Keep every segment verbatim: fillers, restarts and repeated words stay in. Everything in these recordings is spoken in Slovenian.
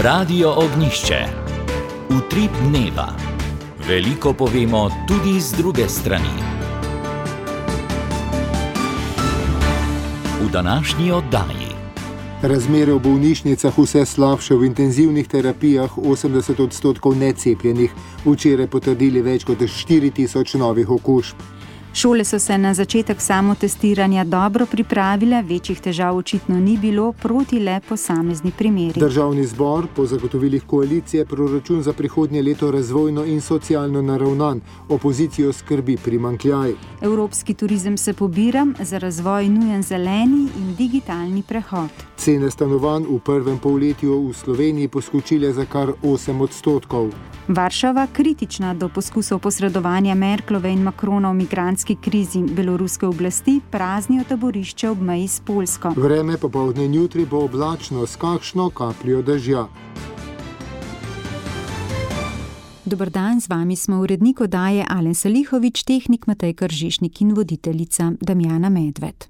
Radio Ognjišče. Utrip dneva. Veliko povemo tudi z druge strani. V današnji oddaji. Razmere v bolnišnicah vse slabše, v intenzivnih terapijah osemdeset odstotkov necepljenih, včeraj potrdili več kot štiri tisoč novih okužb. Šole so se na začetek samotestiranja dobro pripravile, večjih težav očitno ni bilo, proti le posamezni primeri. Državni zbor po zagotovilih koalicije proračun za prihodnje leto razvojno in socialno naravnan, opozicijo skrbi primanjkljaj. Evropski turizem se pobira, za razvoj nujen zeleni in digitalni prehod. Cene stanovanj v prvem polletju v Sloveniji poskočile za kar osem odstotkov. Varšava kritična do poskusov posredovanja Merklove in Macrona v migrantski krizi. Beloruske oblasti praznijo taborišče ob meji s Poljsko. Vreme popoldne in jutri bo oblačno s kakšno kapljo dežja. Dober dan, z vami smo urednik oddaje Alen Salihovič, tehnik Matej Kržišnik in voditeljica Damjana Medved.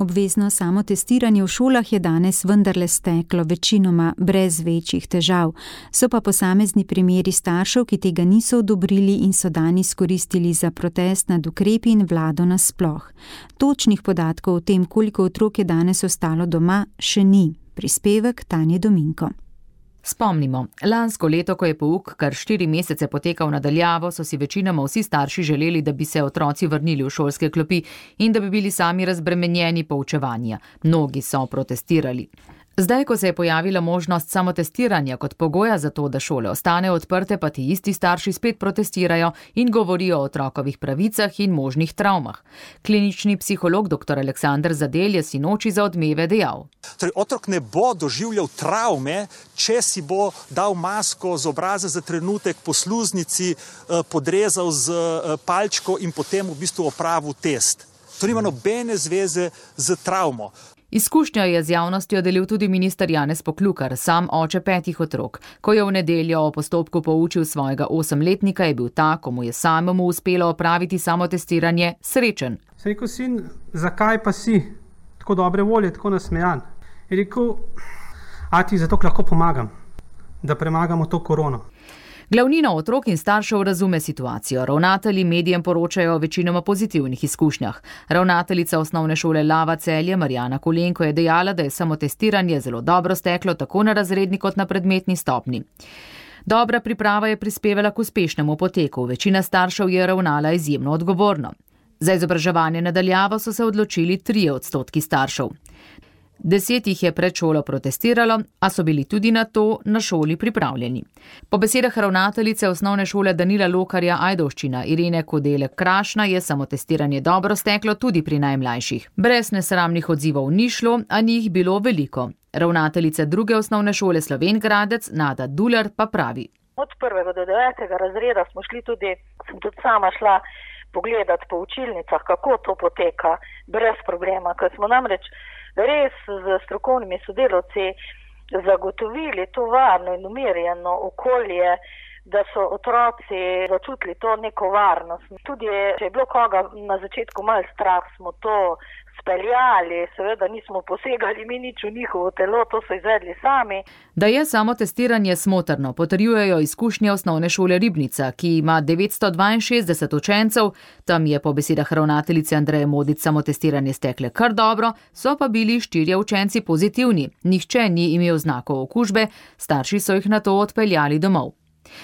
Obvezno samotestiranje v šolah je danes vendarle steklo, večinoma brez večjih težav. So pa posamezni primeri staršev, ki tega niso odobrili in so dan izkoristili za protest nad ukrepi in vlado nasploh. Točnih podatkov o tem, koliko otrok je danes ostalo doma, še ni. Prispevek Tanje Dominko. Spomnimo, lansko leto, ko je pouk kar štiri mesece potekal nadaljavo, so si večinoma vsi starši želeli, da bi se otroci vrnili v šolske klopi in da bi bili sami razbremenjeni poučevanja. Mnogi so protestirali. Zdaj, ko se je pojavila možnost samotestiranja kot pogoja za to, da šole ostanejo odprte, pa ti isti starši spet protestirajo in govorijo o otrokovih pravicah in možnih travmah. Klinični psiholog dr. Aleksander Zadelj je sinoči za Odmeve dejal. Torej, otrok ne bo doživljal travme, če si bo dal masko z obraza za trenutek po sluznici, podrezal z palčko in potem v bistvu opravil test. To nima nobene zveze z travmo. Izkušnjo je z javnostjo delil tudi minister Janez Poklukar, sam oče petih otrok. Ko je v nedeljo o postopku poučil svojega osemletnika, je bil ta, ko mu je samemu uspelo opraviti samotestiranje, srečen. Se rekel, sin, zakaj pa si tako dobre volje, tako nasmejan? Je rekel, a ti zato lahko pomagam, da premagamo to korono. Glavnina otrok in staršev razume situacijo. Ravnatelji medijem poročajo o večinoma pozitivnih izkušnjah. Ravnateljica osnovne šole Lava Celje Marjana Kolenko je dejala, da je samotestiranje zelo dobro steklo tako na razredni kot na predmetni stopni. Dobra priprava je prispevala k uspešnemu poteku. Večina staršev je ravnala izjemno odgovorno. Za izobraževanje nadaljavo so se odločili trije odstotki staršev. Deset jih je pred šolo protestiralo, a so bili tudi na to na šoli pripravljeni. Po besedah ravnateljice osnovne šole Danila Lokarja Ajdovščina Irene Kodele Krašna je samotestiranje dobro steklo tudi pri najmlajših. Brez nesramnih odzivov ni šlo, a ni jih bilo veliko. Ravnateljica druge osnovne šole Slovenj Gradec Nada Dular pa pravi. Od prvega do devetega razreda smo šli tudi, sem tudi sama šla pogledati po učilnicah, kako to poteka, brez problema, ker smo namreč res z strokovnimi sodelavci zagotovili to varno in umirjeno okolje, da so otroci začutili to neko varnost. Tudi, če je bilo koga na začetku malo strah, smo to speljali, seveda nismo posegali mi nič v njihovo telo, to so izvedli sami. Da je samotestiranje smotrno, potrjujejo izkušnje osnovne šole Ribnica, ki ima devetsto dvainšestdeset učencev. Tam je po besedah ravnateljice Andreje Modic samotestiranje stekle kar dobro, so pa bili štirje učenci pozitivni. Nihče ni imel znakov okužbe, starši so jih nato odpeljali domov.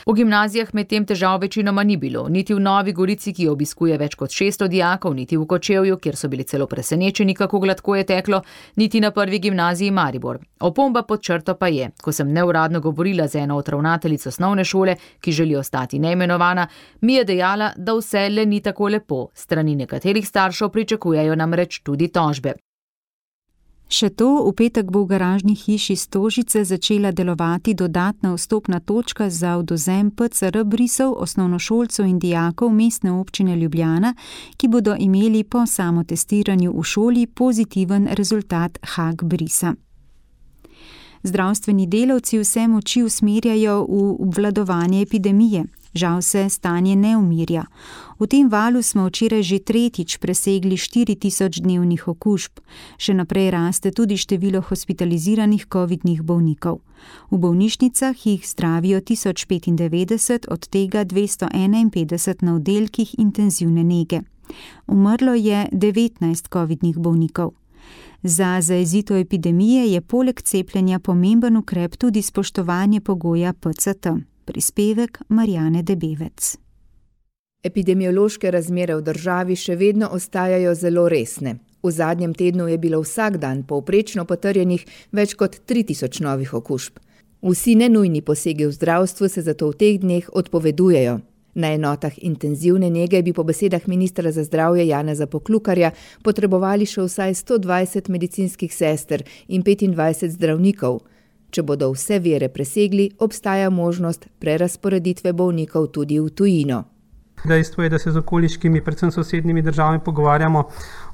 V gimnazijah med tem težav večinoma ni bilo, niti v Novi Gorici, ki obiskuje več kot šeststo dijakov, niti v Kočevju, kjer so bili celo presenečeni, kako gladko je teklo, niti na prvi gimnaziji Maribor. Opomba pod črto pa je, ko sem neuradno govorila z eno od ravnateljic osnovne šole, ki želi ostati neimenovana, mi je dejala, da vse le ni tako lepo. Strani nekaterih staršev pričakujejo namreč tudi tožbe. Še to, v petek bo v garažni hiši Stožice začela delovati dodatna vstopna točka za odvzem P C R brisov osnovnošolcev in dijakov Mestne občine Ljubljana, ki bodo imeli po samotestiranju v šoli pozitiven rezultat H A G brisa. Zdravstveni delavci vse moči usmerjajo v obvladovanje epidemije. Žal se stanje ne umirja. V tem valu smo včeraj že tretjič presegli štiri tisoč dnevnih okužb. Še naprej raste tudi število hospitaliziranih covidnih bolnikov. V bolnišnicah jih zdravijo tisoč petindevetdeset, od tega dvesto enainpetdeset na oddelkih intenzivne nege. Umrlo je devetnajst covidnih bolnikov. Za zajezitev epidemije je poleg cepljenja pomemben ukrep tudi spoštovanje pogoja P C T. Prispevek Marjane Debevec. Epidemiološke razmere v državi še vedno ostajajo zelo resne. V zadnjem tednu je bilo vsak dan povprečno potrjenih več kot tri tisoč novih okužb. Vsi nenujni posegi v zdravstvu se zato v teh dneh odpovedujejo. Na enotah intenzivne nege bi po besedah ministra za zdravje Janeza Poklukarja potrebovali še vsaj sto dvajset medicinskih sester in petindvajset zdravnikov. Če bodo vse vire presegli, obstaja možnost prerazporeditve bolnikov tudi v tujino. Dejstvo je, da se z okoliškimi, predvsem sosednjimi državami pogovarjamo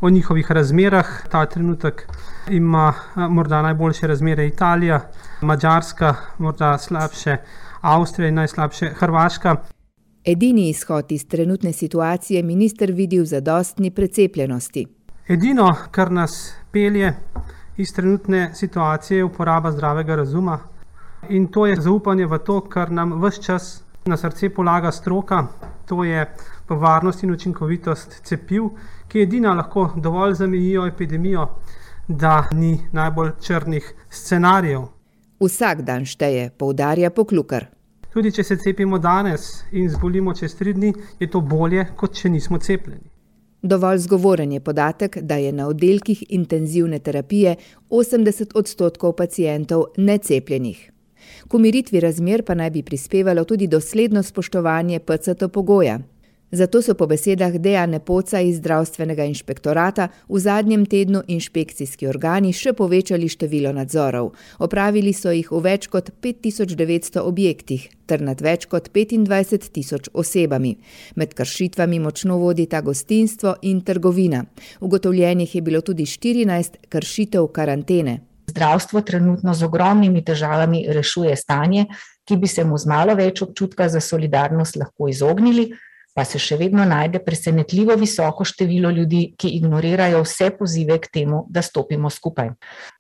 o njihovih razmerah. Ta trenutek ima morda najboljše razmere Italija, Madžarska, morda slabše Avstrija in najslabše Hrvaška. Edini izhod iz trenutne situacije minister vidi v zadostni precepljenosti. Edino, kar nas pelje iz trenutne situacije, je uporaba zdravega razuma. In to je zaupanje v to, kar nam ves čas na srce polaga stroka. To je varnost in učinkovitost cepiv, ki edina lahko dovolj zamejijo epidemijo, da ni najbolj črnih scenarijev. Vsak dan šteje, poudarja Poklukar. Tudi če se cepimo danes in zbolimo čez tri dni, je to bolje, kot če nismo cepljeni. Dovolj zgovoren je podatek, da je na oddelkih intenzivne terapije osemdeset odstotkov pacientov necepljenih. K umiritvi razmer pa naj bi prispevalo tudi dosledno spoštovanje P C T pogoja. Zato so po besedah Dejane Poca iz zdravstvenega inšpektorata v zadnjem tednu inšpekcijski organi še povečali število nadzorov. Opravili so jih v več kot pet tisoč devetsto objektih ter nad več kot petindvajset tisoč osebami. Med kršitvami močno vodita gostinstvo in trgovina. Ugotovljenih je bilo tudi štirinajst kršitev karantene. Zdravstvo trenutno z ogromnimi težavami rešuje stanje, ki bi se mu z malo več občutka za solidarnost lahko izognili, pa se še vedno najde presenetljivo visoko število ljudi, ki ignorirajo vse pozive k temu, da stopimo skupaj.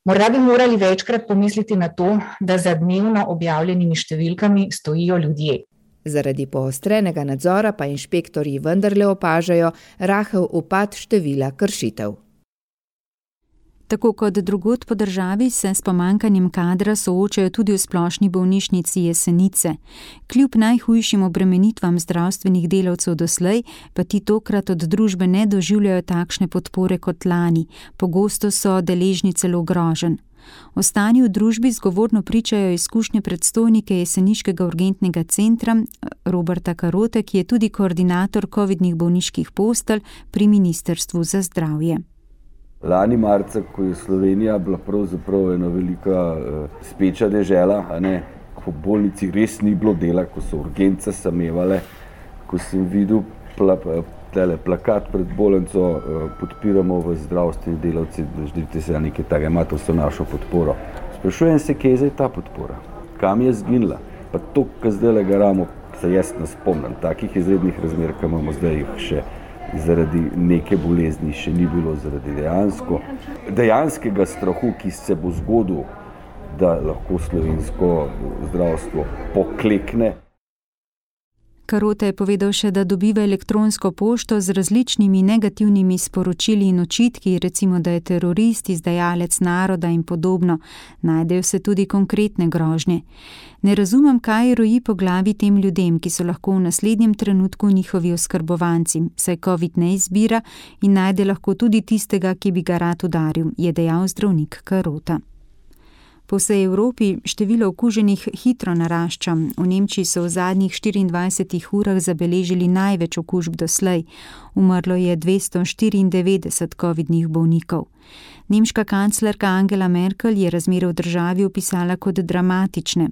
Morda bi morali večkrat pomisliti na to, da za dnevno objavljenimi številkami stojijo ljudje. Zaradi poostrenega nadzora pa inšpektorji vendarle opažajo rahel upad števila kršitev. Tako kot drugod po državi se s pomanjkanjem kadra soočajo tudi v splošni bolnišnici Jesenice. Kljub najhujšim obremenitvam zdravstvenih delavcev doslej, pa ti tokrat od družbe ne doživljajo takšne podpore kot lani. Pogosto so deležni celo groženj. O stanju v družbi zgovorno pričajo izkušnje predstojnike jeseniškega urgentnega centra Roberta Karote, ki je tudi koordinator covidnih bolniških postelj pri Ministrstvu za zdravje. Lani marca, ko je Slovenija bila pravzaprav ena velika uh, speča dežela, a ne, ko v bolnici res ni bilo dela, ko so urgence samevale, ko sem videl pla, tele, plakat pred bolnico, uh, podpiramo v zdravstveni delavci, želite se nekaj takega, imate vso našo podporo. Sprašujem se, kje je zdaj ta podpora, kam je zginila, pa to, kar zdaj le garamo, se jaz ne spomnim, takih izrednih razmer, ki imamo zdaj jih še zaradi neke bolezni še ni bilo, zaradi dejansko, dejanskega strahu, ki se bo zgodil, da lahko slovensko zdravstvo poklekne. Karote je povedal še, da dobiva elektronsko pošto z različnimi negativnimi sporočili in očitki, recimo, da je terorist, izdajalec naroda in podobno. Najdejo se tudi konkretne grožnje. Ne razumem, kaj roji po glavi tem ljudem, ki so lahko v naslednjem trenutku njihovi oskrbovanci, saj COVID ne izbira in najde lahko tudi tistega, ki bi ga rad udaril, je dejal zdravnik Karota. Po vsej Evropi število okuženih hitro narašča. V Nemčiji so v zadnjih štiriindvajsetih urah zabeležili največ okužb doslej. Umrlo je dvesto štiriindevetdeset covidnih bolnikov. Nemška kanclerka Angela Merkel je razmere v državi opisala kot dramatične.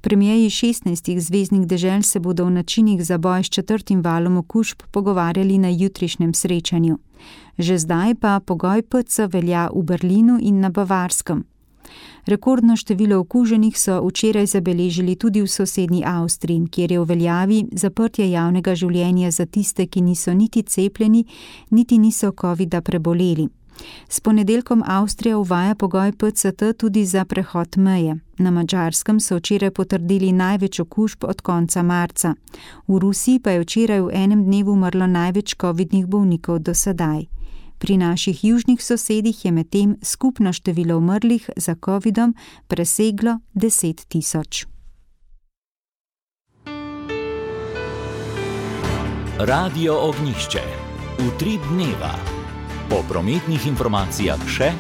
Premierji šestnajstih zveznih dežel se bodo o načinih za boj s četrtim valom okužb pogovarjali na jutrišnjem srečanju. Že zdaj pa pogoj P C velja v Berlinu in na Bavarskem. Rekordno število okuženih so včeraj zabeležili tudi v sosednji Avstriji, kjer je v veljavi zaprtje javnega življenja za tiste, ki niso niti cepljeni, niti niso covida preboleli. S ponedeljkom Avstrija uvaja pogoj P C T tudi za prehod meje. Na Madžarskem so včeraj potrdili največ okužb od konca marca. V Rusiji pa je včeraj v enem dnevu umrlo največ covidnih bolnikov do sedaj. Pri naših južnih sosedih je medtem skupno število umrlih za covidom preseglo deset tisoč. Radio Ognjišče. Utrip dneva. Po prometnih informacijah še.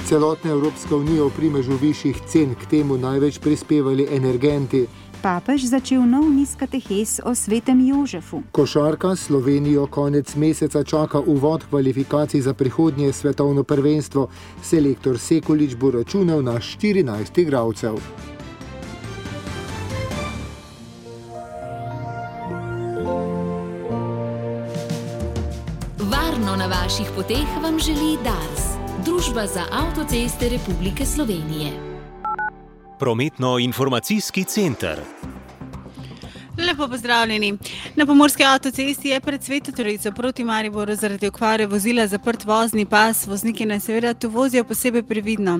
Celotna Evropska unija v primežu višjih cen, k temu največ prispevali energenti. Papež začel nov niz katehes o svetem Jožefu. Košarka Slovenijo konec meseca čaka uvod kvalifikacij za prihodnje svetovno prvenstvo. Selektor Sekulič bo računal na štirinajst igralcev. Varno na vaših poteh vam želi Dars, Družba za avtoceste Republike Slovenije. Prometno-informacijski center. Lepo pozdravljeni. Na Pomurski avtocesti je pred Sveto Trojico proti Mariboru zaradi okvare vozila zaprt vozni pas. Vozniki naj seveda tu vozijo posebej previdno.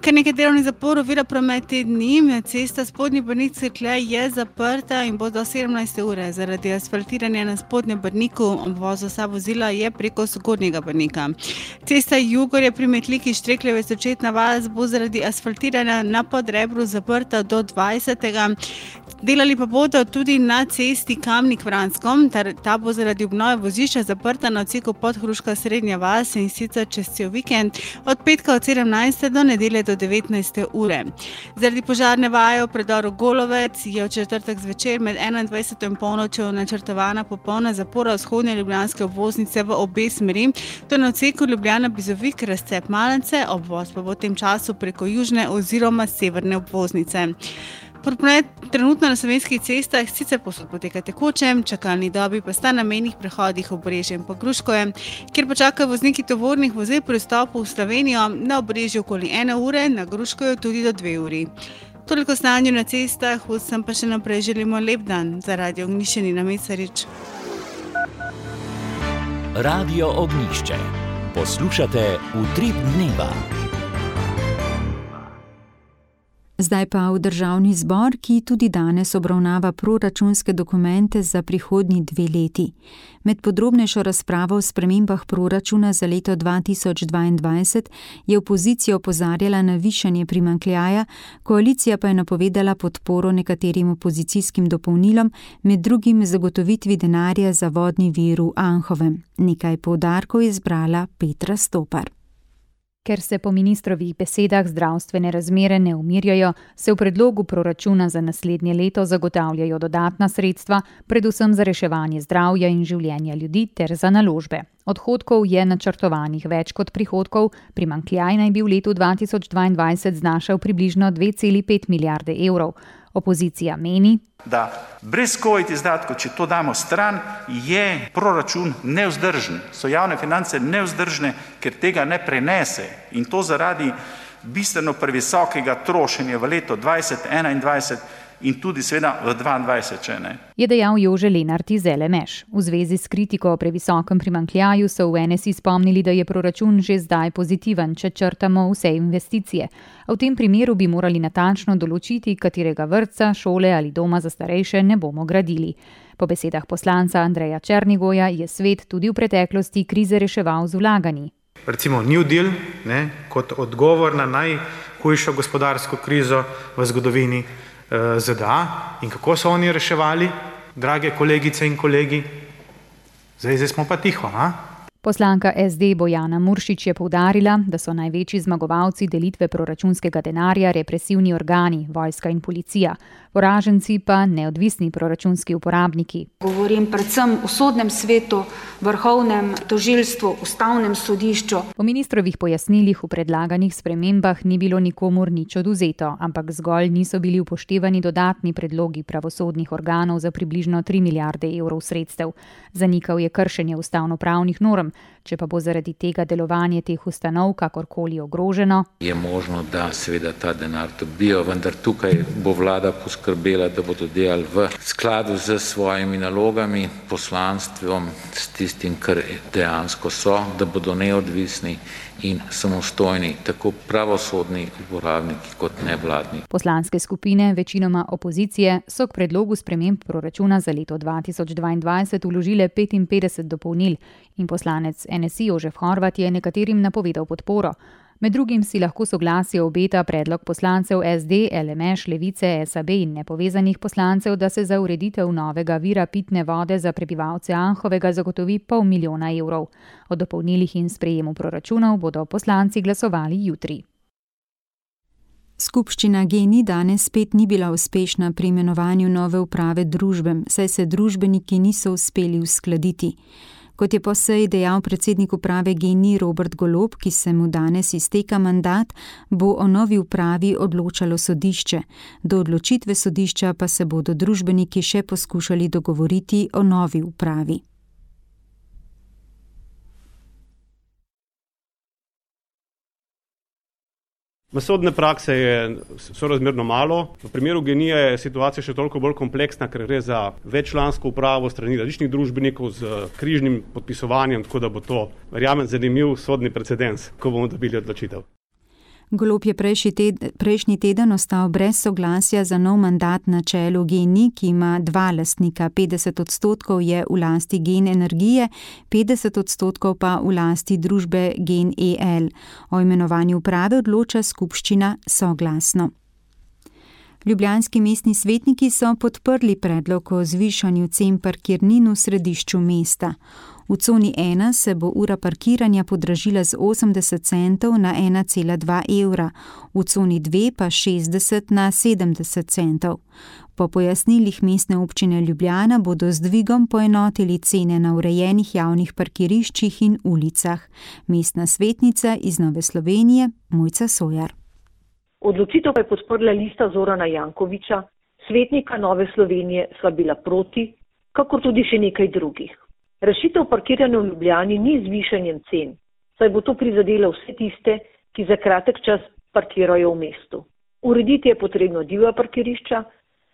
Kar nekaj delovnih zaporov ovira promet te dni. Cesta Spodnji Brnik Cerklje je zaprta in bo do sedemnajste ure. Zaradi asfaltiranja na Spodnjem Brniku obvoz vsa vozila je preko Zgornjega Brnika. Cesta Jugorje pri Metliki Štrekljeve Sočetna vas bo zaradi asfaltiranja na Podrebru zaprta do dvajsetega Delali pa bodo tudi na cesti Kamnik-Vransko, ta bo zaradi obnove vozišča zaprta na odseku Podhruška Srednja vas in sicer čez cel vikend od petka od sedemnajste do nedelje do devetnajste ure. Zaradi požarne vaje v predoru Golovec je v četrtek zvečer med enaindvajseto in polnočjo načrtovana popolna zapora vzhodne ljubljanske obvoznice v obe smeri, to je na odseku Ljubljana-Bizovik, razcep Malence, obvoz pa bo v tem času preko južne oziroma severne obvoznice. Promet trenutno na slovenskih cestah sicer posod poteka tekoče, čakalni dobi pa sta na mejnih prehodih Obrežje in Pogruškovje, kjer pa čakajo vozniki tovornih vozil pri vstopu v Slovenijo na Obrežju okoli ene ure, na Gruškovju tudi do dve uri. Toliko stanju na cestah, vsem pa še naprej želimo lep dan. Za Radio Ognjišče Nina Mecarič. Radio Ognjišče. Poslušate Utrip dneva. Zdaj pa v Državni zbor, ki tudi danes obravnava proračunske dokumente za prihodnji dve leti. Med podrobnejšo razpravo o spremembah proračuna za leto dva tisoč dvaindvajset je opozicija opozarjala na višanje primanjkljaja, koalicija pa je napovedala podporo nekaterim opozicijskim dopolnilom, med drugim zagotovitvi denarja za vodni vir v Anhovem. Nekaj poudarkov je zbrala Petra Stopar. Ker se po ministrovih besedah zdravstvene razmere ne umirjajo, se v predlogu proračuna za naslednje leto zagotavljajo dodatna sredstva, predvsem za reševanje zdravja in življenja ljudi ter za naložbe. Odhodkov je načrtovanih več kot prihodkov, primanjkljaj naj bi v letu dva tisoč dvaindvajset znašal približno dve celi pet milijarde evrov. Opozicija meni, da brez covid izdatkov, če to damo stran, je proračun nevzdržen, so javne finance nevzdržne, ker tega ne prenese in to zaradi bistveno previsokega trošenja v letu dvajset enaindvajset in tudi seveda v dvaindvajset, če ne. Je dejal Jože Lenart iz L M Š. V zvezi s kritiko o previsokem primanjkljaju so v N S I spomnili, da je proračun že zdaj pozitiven, če črtamo vse investicije. A v tem primeru bi morali natančno določiti, katerega vrtca, šole ali doma za starejše ne bomo gradili. Po besedah poslanca Andreja Černigoja je svet tudi v preteklosti krize reševal z vlaganji. Recimo New Deal, ne, kot odgovor na najhujšo gospodarsko krizo v zgodovini Z D A. In kako so oni reševali, drage kolegice in kolegi? Zdaj, zdaj smo pa tiho, a? Poslanka S D Bojana Muršič je poudarila, da so največji zmagovalci delitve proračunskega denarja represivni organi, vojska in policija, poraženci pa neodvisni proračunski uporabniki. Govorim predvsem o sodnem svetu, vrhovnem tožilstvu, ustavnem sodišču. Po ministrovih pojasnilih v predlaganih spremembah ni bilo nikomur nič odvzeto, ampak zgolj niso bili upoštevani dodatni predlogi pravosodnih organov za približno tri milijarde evrov sredstev. Zanikal je kršenje ustavnopravnih norm, zdravjem. Če pa bo zaradi tega delovanje teh ustanov kakorkoli ogroženo, je možno, da seveda ta denar dobijo, vendar tukaj bo vlada poskrbela, da bodo delali v skladu z svojimi nalogami, poslanstvom, s tistim, kar dejansko so, da bodo neodvisni in samostojni, tako pravosodni uporabniki kot nevladni. Poslanske skupine, večinoma opozicije, so k predlogu sprememb proračuna za leto dva tisoč dvaindvajset vložile petinpetdeset dopolnil in poslanec N S I Jožef Horvat je nekaterim napovedal podporo. Med drugim si lahko soglasje obeta predlog poslancev S D, L M Š, Levice, S A B in nepovezanih poslancev, da se za ureditev novega vira pitne vode za prebivalce Anhovega zagotovi pol milijona evrov. O dopolnilih in sprejemu proračunov bodo poslanci glasovali jutri. Skupščina G E N I danes spet ni bila uspešna pri imenovanju nove uprave družbe, saj se družbeniki niso uspeli uskladiti. Kot je po seji dejal predsednik uprave G E N I Robert Golob, ki se mu danes izteka mandat, bo o novi upravi odločalo sodišče. Do odločitve sodišča pa se bodo družbeniki še poskušali dogovoriti o novi upravi. Sodne prakse je sorazmerno malo. V primeru G E N I je situacija še toliko bolj kompleksna, ker gre za veččlansko upravo strani različnih družbenikov z križnim podpisovanjem, tako da bo to, verjamem, zanimiv sodni precedens, ko bomo dobili odločitev. Golob je prejšnji teden, prejšnji teden ostal brez soglasja za nov mandat na čelu G E N I, ki ima dva lastnika. petdeset odstotkov je v lasti Gen Energije, petdeset odstotkov pa v lasti družbe Gen E L. O imenovanju uprave odloča skupščina soglasno. Ljubljanski mestni svetniki so podprli predlog o zvišanju cen parkirnin v središču mesta. V coni ena se bo ura parkiranja podražila z osemdeset centov na ena cela dva evra, v coni dve pa šestdeset na sedemdeset centov. Po pojasnilih mestne občine Ljubljana bodo z dvigom poenotili cene na urejenih javnih parkiriščih in ulicah. Mestna svetnica iz Nove Slovenije Mojca Sojar. Odločitev pa je podprla lista Zorana Jankovića, svetnika Nove Slovenije sva bila proti, kakor tudi še nekaj drugih. Rešitev parkiranja v Ljubljani ni z višanjem cen, saj bo to prizadelo vse tiste, ki za kratek čas parkirajo v mestu. Urediti je potrebno divja parkirišča,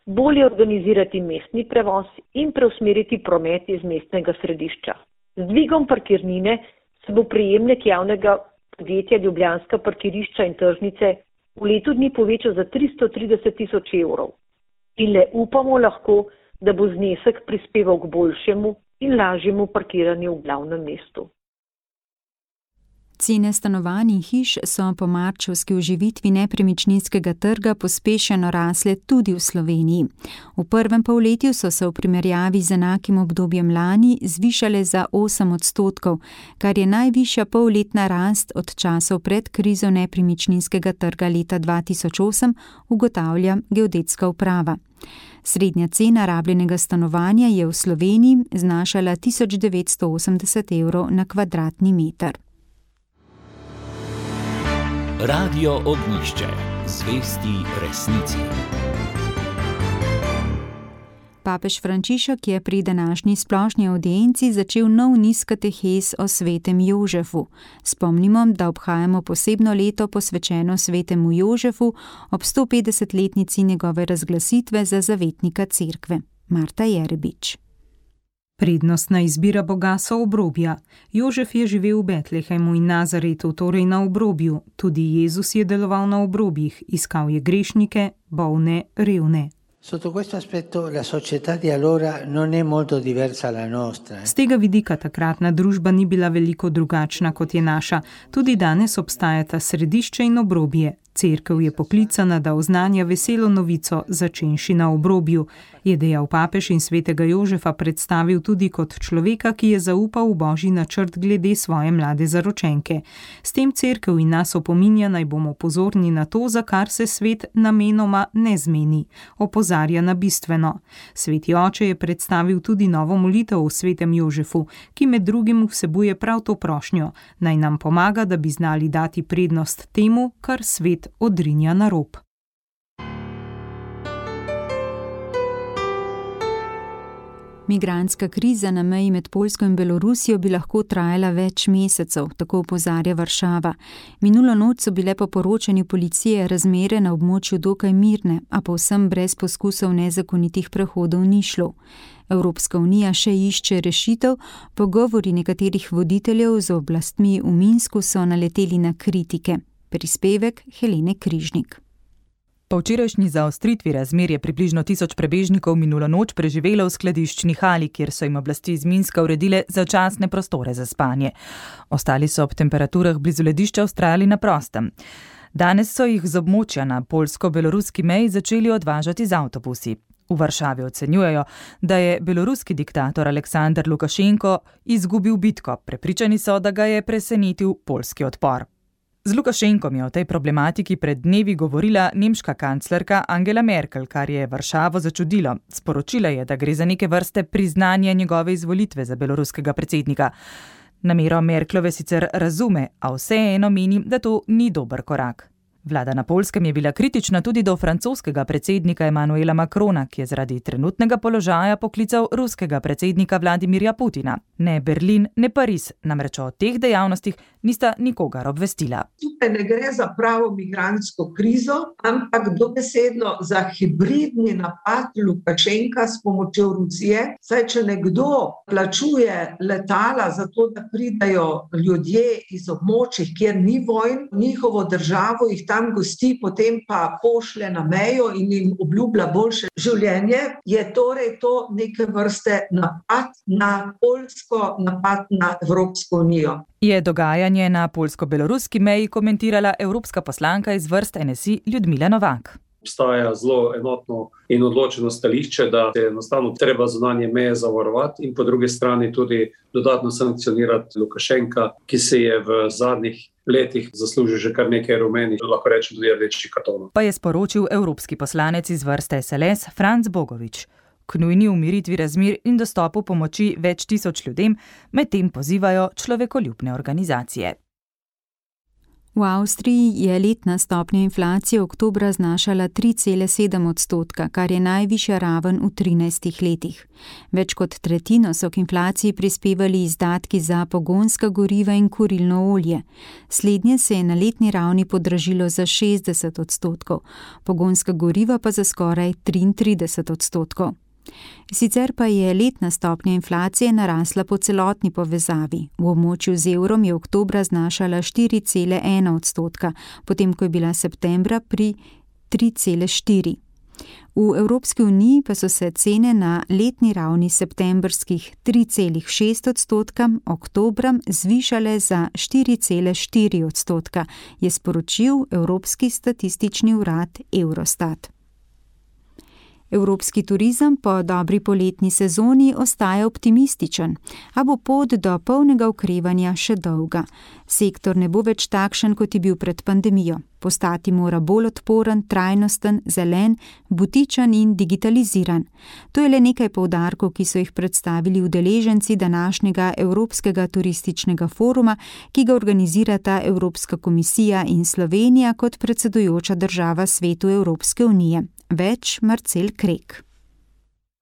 bolje organizirati mestni prevoz in preusmeriti promet iz mestnega središča. Z dvigom parkirnine se bo prejemnik javnega podjetja Ljubljanska parkirišča in tržnice v letu dni povečal za tristo trideset tisoč evrov. In le upamo lahko, da bo znesek prispeval k boljšemu in lažjemu parkiranju v glavnem mestu. Cene stanovanj in hiš so po marčevski oživitvi nepremičninskega trga pospešeno rasle tudi v Sloveniji. V prvem polletju so se v primerjavi z enakim obdobjem lani zvišale za osem odstotkov, kar je najvišja polletna rast od časov pred krizo nepremičninskega trga leta dva tisoč osem, ugotavlja Geodetska uprava. Srednja cena rabljenega stanovanja je v Sloveniji znašala tisoč devetsto osemdeset evrov na kvadratni meter. Radio Ognjišče. Zvesti resnici. Papež Frančišek je pri današnji splošni avdienci začel nov niz katehez o svetem Jožefu. Spomnimo, da obhajamo posebno leto posvečeno svetemu Jožefu ob sto petdesetletnici njegove razglasitve za zavetnika cerkve. Marta Jerebič. Prednostna izbira Boga so obrobja. Jožef je živel v Betlehemu in Nazaretu, torej na obrobju. Tudi Jezus je deloval na obrobjih, iskal je grešnike, bolne, revne. Sotto questo aspetto la società di allora non è molto diversa dalla nostra. Z tega vidika takratna družba ni bila veliko drugačna kot je naša. Tudi danes obstajata središče in obrobje. Cerkev je poklicana, da oznanja veselo novico, začenši na obrobju, je dejal papež in svetega Jožefa predstavil tudi kot človeka, ki je zaupal v božji načrt glede svoje mlade zaročenke. S tem cerkev in nas opominja, naj bomo pozorni na to, za kar se svet namenoma ne zmeni. Opozarja na bistveno. Sveti oče je predstavil tudi novo molitev o svetem Jožefu, ki med drugim vsebuje prav to prošnjo, naj nam pomaga, da bi znali dati prednost temu, kar svet odrinja na rob. Migrantska kriza na meji med Poljsko in Belorusijo bi lahko trajala več mesecev, tako opozarja Varšava. Minulo noč so bile po poročanju policije razmere na območju dokaj mirne, a povsem brez poskusov nezakonitih prehodov ni šlo. Evropska unija še išče rešitev, pogovori nekaterih voditeljev z oblastmi v Minsku so naleteli na kritike. Prispevek Helene Križnik. Po včerajšnji zaostritvi razmer je približno tisoč prebežnikov minulo noč preživelo v skladiščni hali, kjer so jim oblasti iz Minska uredile začasne prostore za spanje. Ostali so ob temperaturah blizu ledišča vztrajali na prostem. Danes so jih z območja na poljsko-beloruski meji začeli odvažati z avtobusi. V Varšavi ocenjujejo, da je beloruski diktator Aleksandar Lukašenko izgubil bitko. Prepričani so, da ga je presenetil poljski odpor. Z Lukašenkom je o tej problematiki pred dnevi govorila nemška kanclerka Angela Merkel, kar je Varšavo začudilo. Sporočila je, da gre za neke vrste priznanje njegove izvolitve za beloruskega predsednika. Namero Merklove sicer razume, a vseeno meni, da to ni dober korak. Vlada na Poljskem je bila kritična tudi do francoskega predsednika Emmanuela Macrona, ki je zaradi trenutnega položaja poklical ruskega predsednika Vladimirja Putina. Ne Berlin, ne Pariz, namreč o teh dejavnostih nista nikogar obvestila. Tukaj ne gre za pravo migrantsko krizo, ampak dobesedno za hibridni napad Lukašenka s pomočjo Rusije. Saj, če nekdo plačuje letala za to, da pridajo ljudje iz območij, kjer ni vojn, njihovo državo jih tam gosti, potem pa pošlje na mejo in jim obljublja boljše življenje, je torej to neke vrste napad na Poljsko, napad na Evropsko unijo. Je dogajanje na poljsko-beloruski meji komentirala evropska poslanka iz vrst N S I Ljudmila Novak. Obstaja zelo enotno in odločeno stališče, da je enostavno treba zunanje meje zavarovati in po drugi strani tudi dodatno sankcionirati Lukašenka, ki se je v zadnjih letih zaslužil že kar nekaj rumenih, lahko rečem tudi rdečih kartonov. Pa je sporočil evropski poslanec iz vrste S L S Franc Bogovič. K nujni umiritvi razmer in dostopu pomoči več tisoč ljudem medtem pozivajo človekoljubne organizacije. V Avstriji je letna stopnja inflacije oktobra znašala tri cele sedem odstotka, kar je najvišja raven v trinajstih letih. Več kot tretjino so k inflaciji prispevali izdatki za pogonska goriva in kurilno olje. Slednje se je na letni ravni podražilo za šestdeset odstotkov, pogonska goriva pa za skoraj triintrideset odstotkov. Sicer pa je letna stopnja inflacije narasla po celotni povezavi. V območju z evrom je oktobra znašala štiri cele ena odstotka, potem ko je bila septembra pri tri cele štiri. V Evropski uniji pa so se cene na letni ravni septembrskih tri cele šest odstotka oktobra zvišale za štiri cele štiri odstotka, je sporočil Evropski statistični urad Eurostat. Evropski turizem po dobri poletni sezoni ostaja optimističen, a bo pot do polnega okrevanja še dolga. Sektor ne bo več takšen, kot je bil pred pandemijo. Postati mora bolj odporen, trajnosten, zelen, butičen in digitaliziran. To je le nekaj poudarkov, ki so jih predstavili udeleženci današnjega Evropskega turističnega foruma, ki ga organizirata Evropska komisija in Slovenija kot predsedujoča država Svetu Evropske unije. Več Marcel Krek.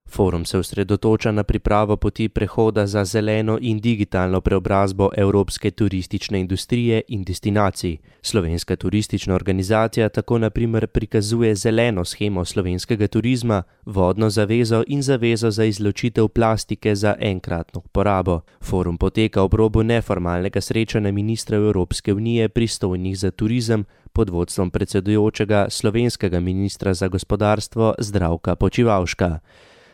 Forum se osredotoča na pripravo poti prehoda za zeleno in digitalno preobrazbo evropske turistične industrije in destinacij. Slovenska turistična organizacija tako na primer prikazuje zeleno shemo slovenskega turizma, vodno zavezo in zavezo za izločitev plastike za enkratno uporabo. Forum poteka ob robu neformalnega srečanja ministrov Evropske unije pristojnih za turizem pod vodstvom predsedujočega slovenskega ministra za gospodarstvo Zdravka Počivalška.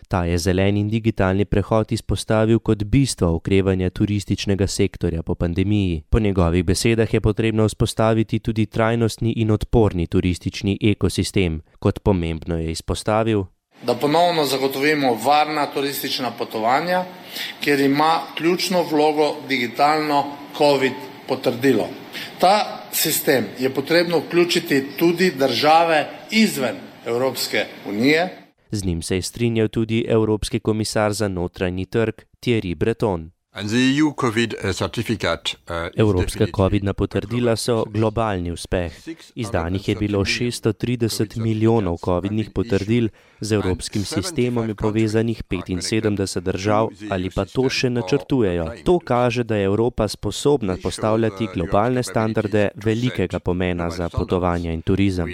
Ta je zeleni in digitalni prehod izpostavil kot bistvo okrevanja turističnega sektorja po pandemiji. Po njegovih besedah je potrebno vzpostaviti tudi trajnostni in odporni turistični ekosistem. Kot pomembno je izpostavil, da ponovno zagotovimo varna turistična potovanja, kjer ima ključno vlogo digitalno COVID potrdilo. Ta sistem je potrebno vključiti tudi države izven Evropske unije. Z njim se je strinjal tudi Evropski komisar za notranji trg Thierry Breton. Evropska covidna potrdila so globalni uspeh. Izdanih je bilo šeststo trideset milijonov covidnih potrdil, z evropskim sistemom je povezanih petinsedemdeset držav ali pa to še načrtujejo. To kaže, da je Evropa sposobna postavljati globalne standarde velikega pomena za potovanja in turizem.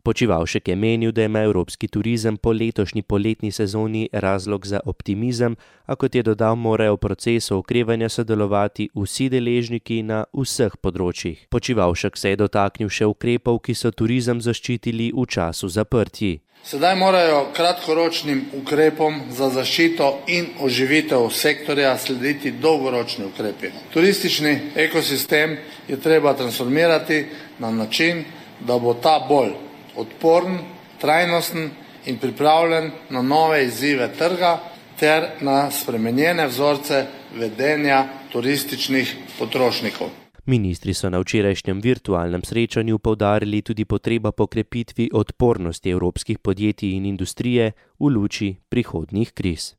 Počivalšek je menil, da ima evropski turizem po letošnji poletni sezoni razlog za optimizem, a kot je dodal, morajo v procesu okrevanja sodelovati vsi deležniki na vseh področjih. Počivalšek se je dotaknil še ukrepov, ki so turizem zaščitili v času zaprtji. Sedaj morajo kratkoročnim ukrepom za zaščito in oživitev sektorja slediti dolgoročni ukrepi. Turistični ekosistem je treba transformirati na način, da bo ta bolj odporen, trajnosten in pripravljen na nove izzive trga ter na spremenjene vzorce vedenja turističnih potrošnikov. Ministri so na včerajšnjem virtualnem srečanju poudarili tudi potrebo po krepitvi odpornosti evropskih podjetij in industrije v luči prihodnjih kriz.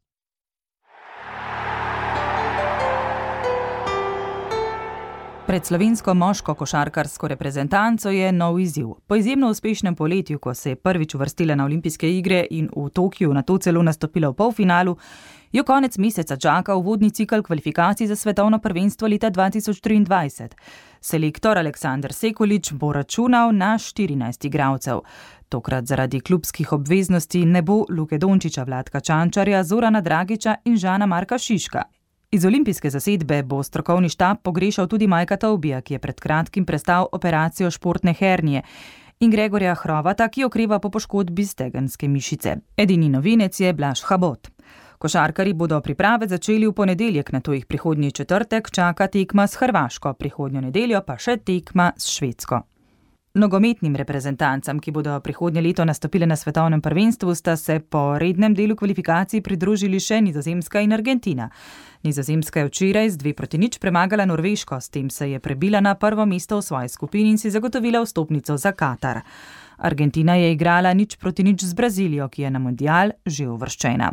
Pred slovensko moško košarkarsko reprezentanco je nov izziv. Po izjemno uspešnem poletju, ko se je prvič uvrstila na olimpijske igre in v Tokiu nato celo nastopila v polfinalu, jo konec meseca čaka uvodni cikel kvalifikacij za svetovno prvenstvo leta dva tisoč triindvajset. Selektor Aleksandar Sekulič bo računal na štirinajst igralcev. Tokrat zaradi klubskih obveznosti ne bo Luke Dončiča, Vladka Čančarja, Zorana Dragiča in Žana Marka Šiška. Iz olimpijske zasedbe bo strokovni štab pogrešal tudi Majka Taubija, ki je pred kratkim prestal operacijo športne hernije, in Gregorja Hrovata, ki okreva po poškodbi stegenske mišice. Edini novinec je Blaž Habot. Košarkarji bodo priprave začeli v ponedeljek, nato jih prihodnji četrtek čaka tekma s Hrvaško, prihodnjo nedeljo pa še tekma s Švedsko. Nogometnim reprezentancam, ki bodo prihodnje leto nastopile na svetovnem prvenstvu, sta se po rednem delu kvalifikacij pridružili še Nizozemska in Argentina. Nizozemska je včeraj z dve proti nič premagala Norveško, s tem se je prebila na prvo mesto v svoji skupini in si zagotovila vstopnico za Katar. Argentina je igrala nič proti nič z Brazilijo, ki je na mundial že uvrščena.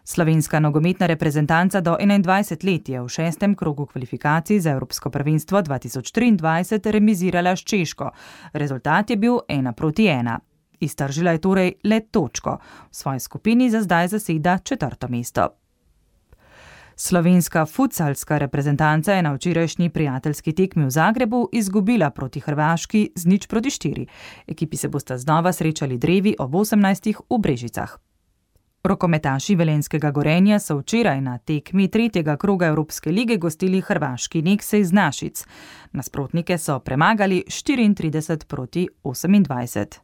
Slovenska nogometna reprezentanca do enaindvajset let je v šestem krogu kvalifikacij za Evropsko prvenstvo dva tisoč triindvajset remizirala s Češko. Rezultat je bil ena proti ena. Iztržila je torej le točko. V svoji skupini za zdaj zaseda četrto mesto. Slovenska futsalska reprezentanca je na včerajšnji prijateljski tekmi v Zagrebu izgubila proti Hrvaški z nič proti štiri. Ekipi se bosta znova srečali drevi ob osemnajstih v Brežicah. Rokometaši velenjskega Gorenja so včeraj na tekmi tretjega kroga Evropske lige gostili hrvaški Nexe iz Našic. Nasprotnike so premagali štiriintrideset proti osemindvajset.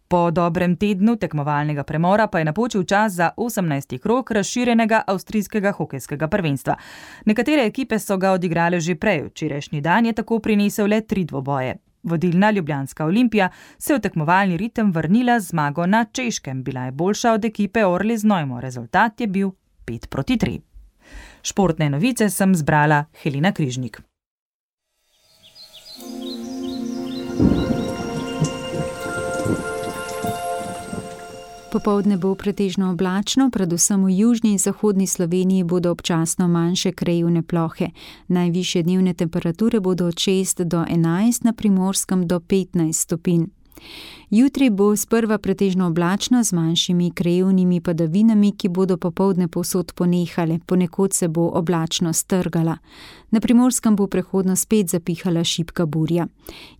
Po dobrem tednu tekmovalnega premora pa je napočil čas za osemnajsti krog razširjenega avstrijskega hokejskega prvenstva. Nekatere ekipe so ga odigrale že prej, včerajšnji dan je tako prinesel le tri dvoboje. Vodilna ljubljanska Olimpija se je v tekmovalni ritem vrnila z zmago na Češkem. Bila je boljša od ekipe Orli Znojmo. Rezultat je bil pet proti tri. Športne novice sem zbrala Helena Križnik. Popoldne bo pretežno oblačno, predvsem v južni in zahodni Sloveniji bodo občasno manjše krajevne plohe. Najvišje dnevne temperature bodo od šest do enajst, na Primorskem do petnajst stopinj. Jutri bo sprva pretežno oblačno z manjšimi krajevnimi padavinami, ki bodo popoldne povsod ponehale, ponekod se bo oblačno strgala. Na Primorskem bo prehodno spet zapihala šibka burja.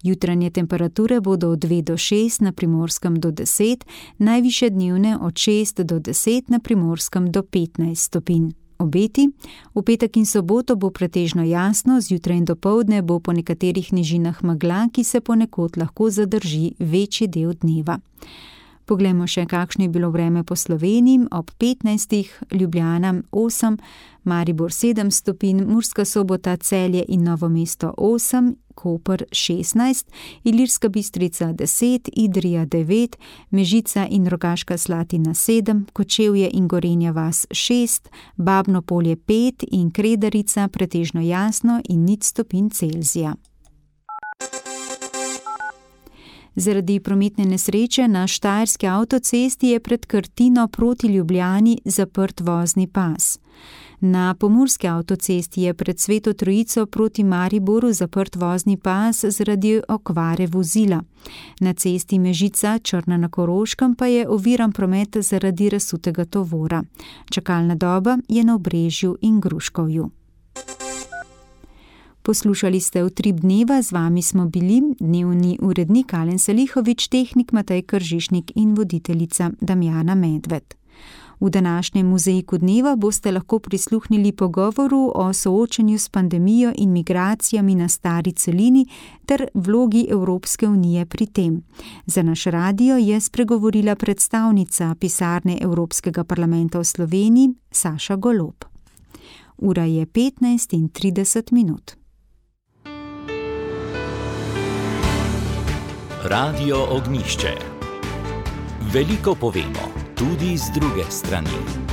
Jutranje temperature bodo od dve do šest, na Primorskem do deset, najvišje dnevne od šest do deset, na Primorskem do petnajst stopinj. Obeti. V petek in soboto bo pretežno jasno, zjutraj in dopoldne bo po nekaterih nižinah megla, ki se ponekod lahko zadrži večji del dneva. Poglejmo še, kakšno je bilo vreme po Sloveniji. Ob petnajstih Ljubljana osem, Maribor sedem stopinj, Murska Sobota, Celje in Novo mesto osem, Koper šestnajst, Ilirska Bistrica deset, Idrija devet, Mežica in Rogaška Slatina sedem, Kočevje in Gorenja vas šest, Babno Polje pet in Kredarica pretežno jasno in nič stopinj Celzija. Zaradi prometne nesreče na štajerski avtocesti je pred Krtino proti Ljubljani zaprt vozni pas. Na pomurski avtocesti je pred Sveto Trojico proti Mariboru zaprt vozni pas zaradi okvare vozila. Na cesti Mežica Črna na Koroškem pa je oviran promet zaradi razsutega tovora. Čakalna doba je na Obrežju in Gruškovju. Poslušali ste Utrip dneva, z vami smo bili dnevni urednik Alen Salihovič, tehnik Matej Kržišnik in voditeljica Damjana Medved. V današnjem muzeiku dneva boste lahko prisluhnili pogovoru o soočanju s pandemijo in migracijami na stari celini ter vlogi Evropske unije pri tem. Za naš radio je spregovorila predstavnica pisarne Evropskega parlamenta v Sloveniji Saša Golob. Ura je petnajst in trideset minut. Radio Ognjišče. Veliko povemo, tudi z druge strani.